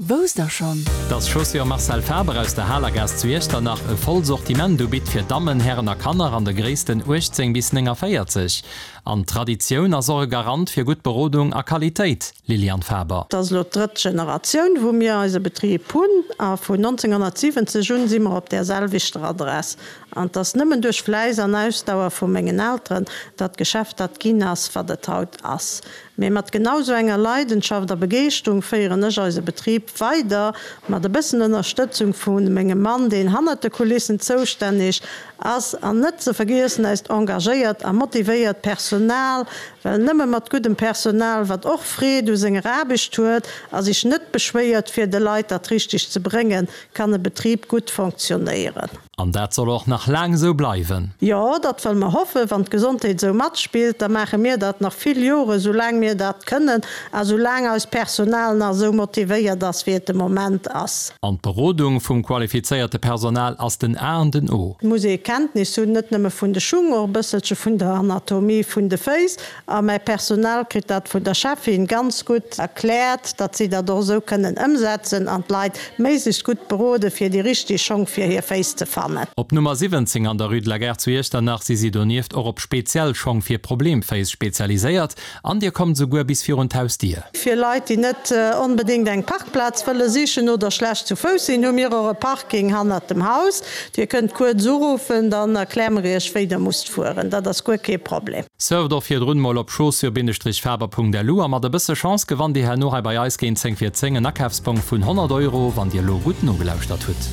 Wousst der schonn? Dass Chaussures Marcel Faber aus der Halergaass zu Iechternach e voll Sortiment ubitt fir Dammen, Hären a Kanner an de Gréissten 18 bis 49. An Traditioun ass och e Garant fir gutt Berodung a Qualitéit, Liliane Faber. Et ass elo d'drëtt Generatioun, wou mir eise Betrib hunn a vun 1970 un si mer op där selwechter Adress. An et ass nëmmen duerch Fläiss an Ausdauer vu mengen Elteren, datt d'Geschäft dat ginn ass, wat et haut ass. Mee mat genau sou enger Leidenschaft a Begeeschterung féieren ech eise Betrib weider, mat e bëssen Ënnerstëtzung vu mengem Mann, deen hannert de Kulissen zoustänneg ass, an net ze vergiessen eist engagéiert a motivéiert Personal, well nëmme mat guddem Personal, wat och Freed u senger Aarbecht huet a sech net beschwéiert fir de Leit dat Richtegt ze bréngen, kann e Betrib gutt fonctionnéieren. An dat soll och nach laang esou bleiwen. Jo, dat wëlle mer hoffen. Wann d'Gesondheet esou matspillt, da maache mir dat nach vill Joren, esou laang mir dat kënnen a sou laang eist Personal nach esou motivéiert ass, wéi et de Moment ass. An d'Berodung vum qualifizéierte Personal ass den A an den O. Et muss ee Kenntnis hunn, net nëmme vun de Schung, och e bësselche vun der Anatomie vun de Féiss. A mäi Personal kritt dat vun der Cheffin ganz gutt erkläert, datt si dat och esou kënnen ëmsetzen an d'Leit méiglechst gutt berode fir déi richteg Schong fir hir Féiss ze fannen. Op Nummer 17 an der Rue de la Gare zu Iechternach si si donieft och op speziell Schong fir Problemféiss spezialiséiert an dir kommt esouguer bis virun d'Hausdier. Fir Leit, déi net onbedéngt eng Parkplaz wëlle sichen oder schlecht zu Fouss sinn, hu mir och e Parking hannert dem Haus. Dir kënnt kuerz uruffen, dann erkläre mer iech wéi der musst fueren. Dat ass guer kee Problem. Surft och virdrun mol op chaussures-faber.lu a mat e bësse Chance gewannt dir herno hei bei eis géint 10 vir 10 en Akafsbong vun 100 Euro, wann dir lo gutt nogelauschtert hutt.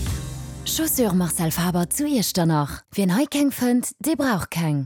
Chaussures Marcel Faber zu Iechternach, Wien hei keng fënnt, dee brauch keng.